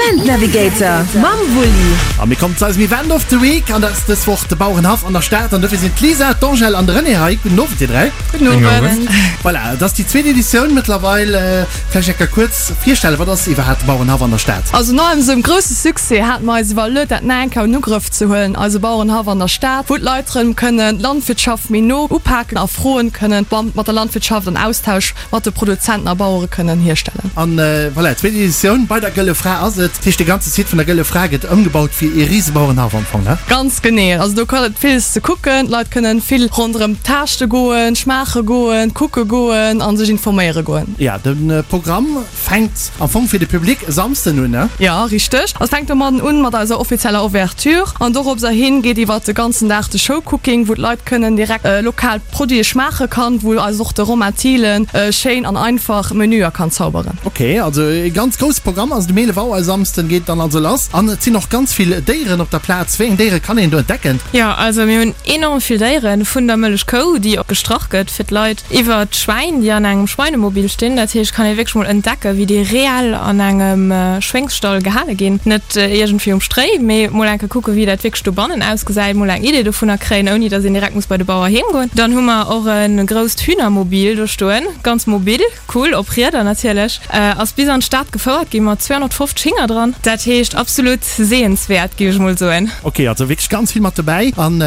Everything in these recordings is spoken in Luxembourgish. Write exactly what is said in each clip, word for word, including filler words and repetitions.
Event Navigator mam Wulli. A mir kommen zu eisem Event of the Week an dat ass dës Woch de Bauerenhaff an der Stad an dofir sinn d'Lisa, d'Angèle an de René hei. Gudden Owend dir dräi. Gudden Owend. Voilà, et ass déi zweet Editioun mëttlerweil. Vläicht eng Kéier kuerz virstellen, wat ass iwwerhaapt de Bauerenhaff an der Stad? Also no eisem grousse Succès hate mer eis iwwerluet dat nach eng Kéier an Ugrëff ze huelen, eise Bauerenhaff an der Stad, wou d'Leit rëm kënnen d'Landwirtschaft méi no upaken a Froen kënnen mat der Landwirtschaft an Austausch mat de Produzenten a Bauere kënnen hierstellen. An voilà, zweet Editioun bei der Gëlle Fra ass et. Dat heescht, de ganze Site vun der Gëlle Fra gëtt ëmgebaut fir ee Risebauerenhaff am Fong, ne? Ganz genee. Also do gëtt et villes ze kucken. D'Leit kënnen vill ronderëm taaschte goen, schmaache goen, kucke goen a sech informéiere goen. Jo, de Programm fänkt am Fong fir de Public e Samsden un, ne? Jo, richteg. Also et fänkt domadden un mat eiser offizieller Ouverture an doropser hin geet iwwert de ganzen Dag de Showcooking, wou d'Leit kënnen direkt lokal Produite schmaache kann, wou eis och de Romain Thielen schéin an einfach Menüer kann zauberen. Ok, also e ganz grousse Programm. Also de Mele Wauer e Samsden geet dann also lass an et sinn och ganz vill Déieren op der Plaz. Wéi eng Déiere kann een do entdecken? Jo, also mir hunn enorm vill Déieren, vun der Mëllechkou, déi och gestrach gëtt fir d'Leit, iwwer d'Schwäin, déi an engem Schweinemobil stinn. Dat heescht, kann ee wierklech mol entdecken, wéi déi reell an engem Schwéngsstall gehale ginn. Net iergendwéi um Stréi, mee mol eng Kéier kucken, wéi dat wierklech dobannen ausgesäit, mol eng Idee dovunner kréien, ouni datt een direkt muss bei de Bauer heem goen. Dann hu mer och e grousst Hühnermobil do stoen, ganz mobil, cool, op Rieder natierlech, ass bis an d'Stad gefouert gi mat zweehonnertfofzeg Hinger dran. Dat heescht absolut sehenswäert, géif ech mol soen. Ok, also wierklech ganz vill mat dobäi. An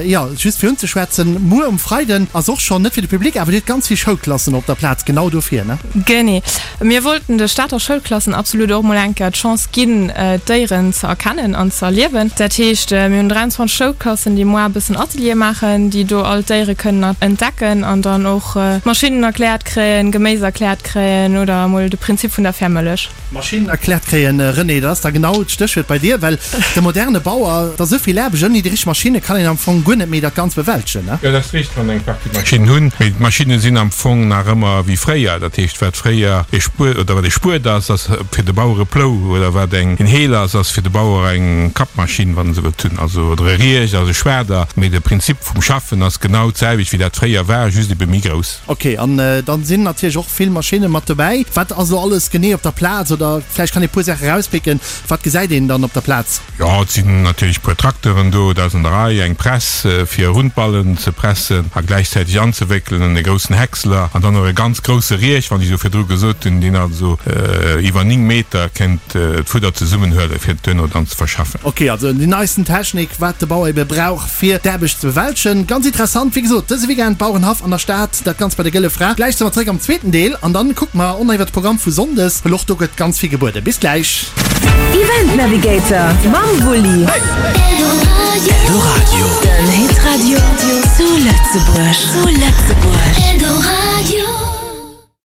jo, just fir unzeschwätzen, muer um Freiden ass och schonn, net fir de Public, awer dir hutt ganz vill Schoulklassen op der Plaz, genau dofir, ne? Genee. Mir wollten de Stater Schoulklassen absolut och mol eng Kéier d'Chance ginn, d'Déieren ze erkennen an ze erliewen. Dat heescht, mir hunn dräianzwanzeg Schoulklassen, déi moar e bëssen Ateliere maachen, déi do all d'Déiere kënnen entdecken an dann och Maschinnen erkläert kréien, Geméis erkläert kréien oder emol de Prinzip vun der Fairmëllech. Maschinnen erkläert kréien, René, dat ass da genau d'Stéchwuert bei dir, well de moderne Bauer, et ass esou vill Aarbecht, ouni déi richteg Maschinne kann een am Fong guer net méi dat Ganzt bewältegen, ne? Jo, dat ass richteg, wann eng Partie Maschinnen hunn, mee d'Maschinne sinn am Fong nach ëmmer wéi fréier. Dat heescht, wat fréier e Spuet oder wat e Spuet ass, ass fir de Bauer e Plou oder wat eng en Heel ass, ass fir de Bauer eng Kappmaschinn, wann e se wëllt hunn, also oder e Riech ass e Schwader. Mee de Prinzip vum Schaffen ass genau d'selwecht wéi dat fréier war, just ebe méi grouss. Ok, an dann sinn natierlech och vill Maschinne mat dobäi. Wat ass elo alles genee op der Plaz? Oder vläicht kann ee puer Saache erauspicken. Wat gesäit een dann op der Plaz? Jo, et sinn natierlech puer Trakteren do, dat ass an der Rei, eng Press fir Rundballen ze pressen a gläichzäiteg anzewéckelen, e groussen Häcksler an dann och e ganz grousse Riech, wann ech esou virdru gesot hunn, deen also iwwer néng Meter kéint d'Fudder zesummenhuelen, fir et duerno dann ze verschaffen. Ok, also déi neisten Technik, wat de Bauer ebe brauch, fir d'Aarbecht ze bewältegen. Ganz interessant, wéi gesot, dëse Weekend Bauerenhaff an der Stad, dat Ganzt bei der Gëlle Fra. Gläich si mer zeréck am zweeten Deel an dann kucke mer och nach iwwer de Programm vu Sonndes, well och do gëtt ganz vill gebueden. Bis gläich! Event Navigator mam Wulli. Eldoradio. Den Hitradio zu Lëtzebuerg. Zu Lëtzebuerg. Eldoradio.